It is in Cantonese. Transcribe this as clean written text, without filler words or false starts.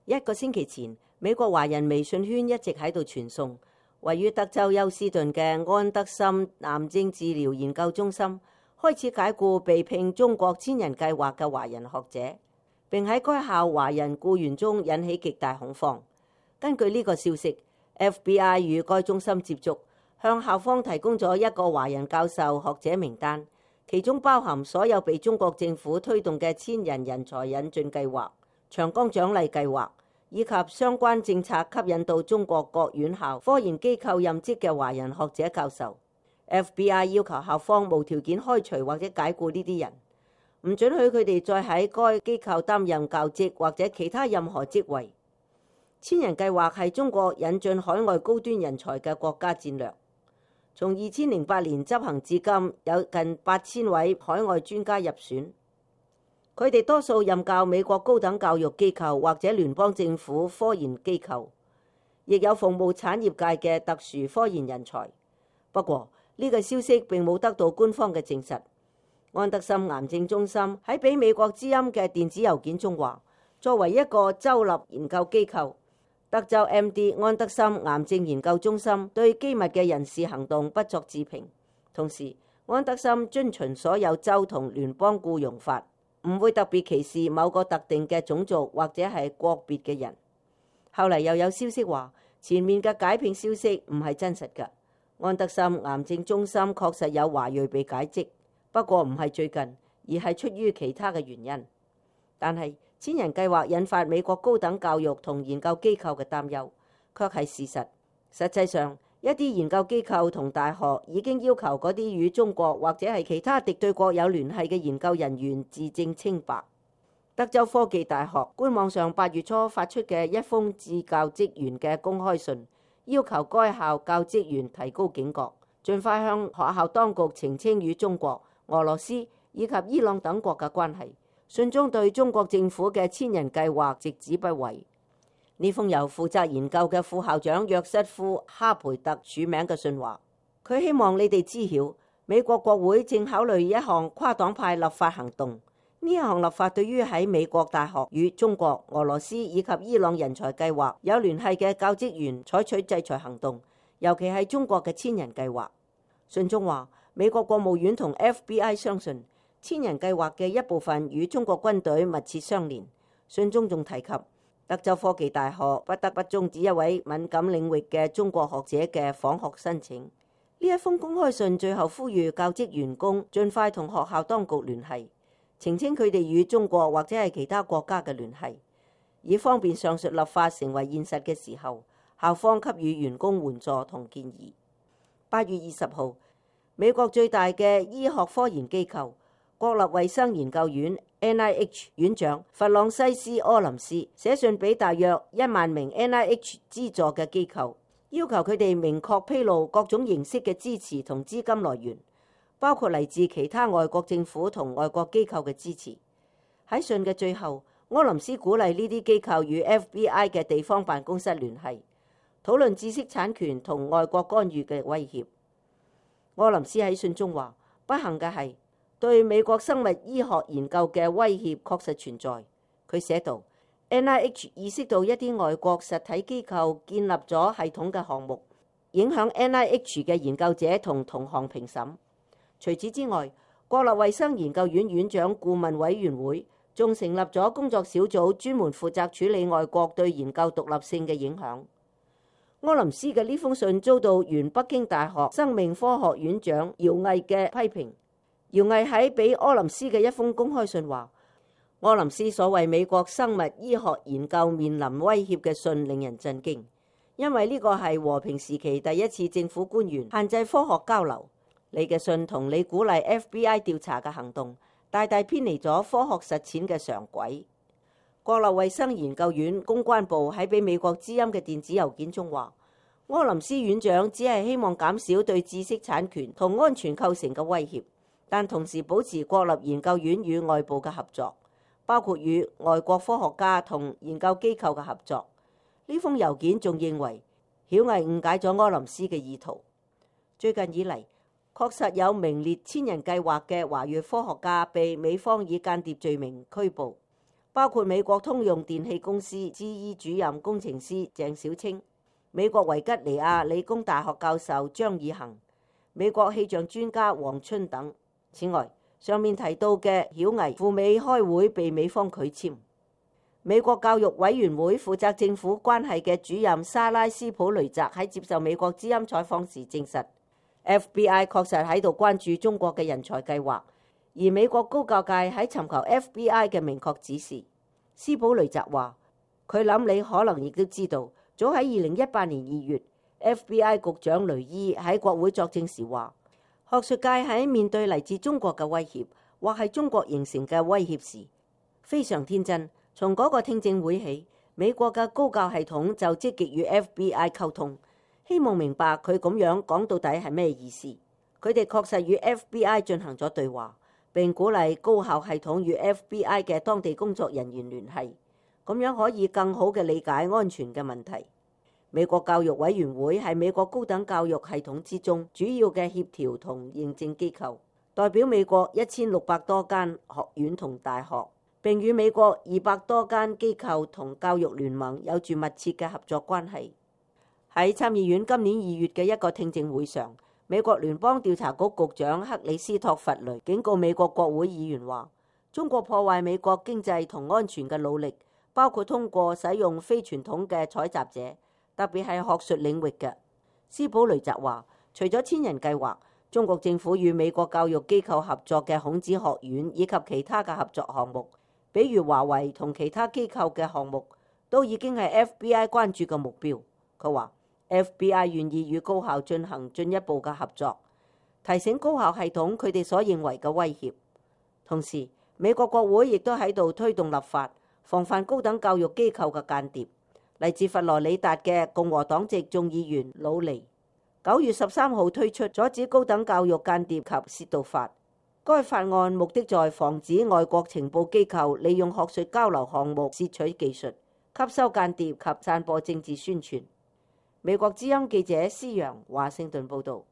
1個星期前，美國華人微信圈一直喺度傳送，位於德州休斯頓嘅安德森癌症治療研究中心開始解僱被聘中國千人計劃嘅華人學者，並喺該校華人僱員中引起極大恐慌。根據呢個消息， FBI 與該中心接觸，向校方提供咗一個華人教授學者名單，其中包含所有被中國政府推動嘅千人人才引進計劃、長江獎勵計劃以及相關政策吸引到中國各院校科研機構任職嘅華人學者教授。FBI 要求校方無條件開除或者解僱呢啲人，唔准許佢哋再喺該機構擔任教職或者其他任何職位。千人計劃係中國引進海外高端人才嘅國家戰略。從2008年執行至今，有近8000位海外專家入選。佢哋多數任教美國高等教育機構或者聯邦政府科研機構，亦有服務產業界嘅特殊科研人才。不過呢個消息並冇得到官方嘅證實。安德森癌症中心喺俾美國之音嘅電子郵件中話，作為一個州立研究機構，德州 MD 安德森癌症研究中心對機密嘅人事行動不作置評。同時，安德森遵循所有州同聯邦僱傭法，唔會特別歧視某個特定嘅種族或者係國別嘅人。後嚟又有消息話，前面嘅解聘消息唔係真實㗎。安德森癌症中心確實有華裔被解職，不過唔係最近，而係出於其他嘅原因。但係千人計劃引發美國高等教育同研究機構嘅擔憂，卻係事實。實際上，一啲研究機構同大學已經要求嗰啲與中國或者係其他敵對國有聯繫嘅研究人員自證清白。德州科技大學官網上8月初發出嘅一封致教職員嘅公開信，要求該校教職員提高警覺，盡快向學校當局澄清與中國、俄羅斯以及伊朗等國嘅關係。信中對中國政府嘅千人計劃直指不諱。呢封由負責研究嘅副校長約瑟夫·哈培特署名嘅信話，佢希望你哋知曉，美國國會正考慮一項跨黨派立法行動。呢一項立法對於喺美國大學與中國、俄羅斯以及伊朗人才計劃有聯繫嘅教職員採取制裁行動，尤其係中國嘅千人計劃。信中話，美國國務院同 FBI 相信千人計劃嘅一部分與中國軍隊密切相連。信中仲提及，德州科技大學不得不終止一位敏感領域嘅中國學者嘅訪學申請。呢一封公開信最後呼籲教職員工盡快同學校當局聯繫，澄清佢哋與中國或者係其他國家嘅聯繫，以方便上述立法成為現實嘅時候，校方給予員工援助同建議。8月20號，美國最大嘅醫學科研機構國立衛生研究院 NIH 院長弗朗西斯·柯林斯寫信俾大約1萬名 NIH 資助嘅機構，要求佢哋明確披露各種形式嘅支持同資金來源，包括嚟自其他外國政府同外國機構嘅支持。喺信嘅最後，柯林斯鼓勵呢啲機構與 FBI 嘅地方辦公室聯繫，討論知識產權同外國干預嘅威脅。柯林斯喺信中話，不幸嘅係，對美國生物醫學研究嘅威脅確實存在。佢寫道， NIH 意識到一啲外國實體機構建立咗系統嘅項目，影響 NIH 嘅研究者同同行評審。除此之外，國立衛生研究院院長顧問委員會仲成立咗工作小組，專門負責處理外國對研究獨立性嘅影響。柯林斯嘅呢封信遭到原北京大學生命科學院長姚毅嘅批評。姚毅喺俾柯林斯嘅一封公開信話，柯林斯所謂美國生物醫學研究面臨威脅嘅信令人震驚，因為呢個係和平時期第一次政府官員限制科學交流。你嘅信同你鼓勵 FBI 調查嘅行動，大大偏離咗科學實踐嘅常軌。國立衛生研究院公關部喺俾美國之音嘅電子郵件中話，柯林斯院長只係希望減少對知識產權同安全構成嘅威脅，但同時保持國立研究院與外部嘅合作，包括與外國科學家同研究機構嘅合作。呢封郵件仲認為，曉毅誤解咗柯林斯嘅意圖。最近以嚟，確實有名列千人計劃嘅華裔科學家被美方以間諜罪名拘捕。包括美國通用電氣公司 GE 主任工程師鄭小青、美國維吉尼亞理工大學教授張以恒、美國氣象專家黃春等。此外，上面提到嘅曉毅赴美開會被美方拒簽。美國教育委員會負責政府關係嘅主任莎拉斯普雷澤喺接受美國之音採訪時證實， FBI 確實喺度關注中國嘅人才計劃，而美國高教界喺尋求 FBI 嘅明確指示。斯普雷澤話：佢諗你可能亦都知道，早喺2018年2月 ，FBI 局長雷伊喺國會作證時話，學術界喺面對嚟自中國嘅威脅，或係中國形成嘅威脅時，非常天真。從嗰個聽證會起，美國嘅高教系統就積極與 FBI 溝通，希望明白佢咁樣講到底係咩意思。佢哋確實與 FBI 進行咗對話，並鼓勵高校系統與 FBI 嘅當地工作人員聯繫，咁樣可以更好嘅理解安全嘅問題。美國教育委員會係美國高等教育系統之中主要嘅協調同認證機構，代表美國1600多間學院同大學，並與美國200多間機構同教育聯盟有住密切嘅合作關係。喺參議院今年2月嘅一個聽證會上，美國聯邦調查局局長克里斯托弗雷警告美國國會議員話，中國破壞美國經濟同安全嘅努力，包括通過使用非傳統嘅採集者，特別係學術領域嘅。斯普雷澤話，除咗千人計劃，中國政府與美國教育機構合作嘅孔子學院以及其他嘅合作項目，比如華為同其他機構嘅項目，都已經係 FBI 關注嘅目標。佢話 FBI 願意與高校進行進一步嘅合作，提醒高校系統佢哋所認為嘅威脅。同時，美國國會亦都喺度推動立法，防範高等教育機構嘅間諜。嚟自佛羅里達嘅共和黨籍眾議員魯尼9月13號推出阻止高等教育間諜及竊盜法。該法案目的在防止外國情報機構利用學術交流項目竊取技術、吸收間諜及散播政治宣傳。美國之音記者施揚華盛頓報導。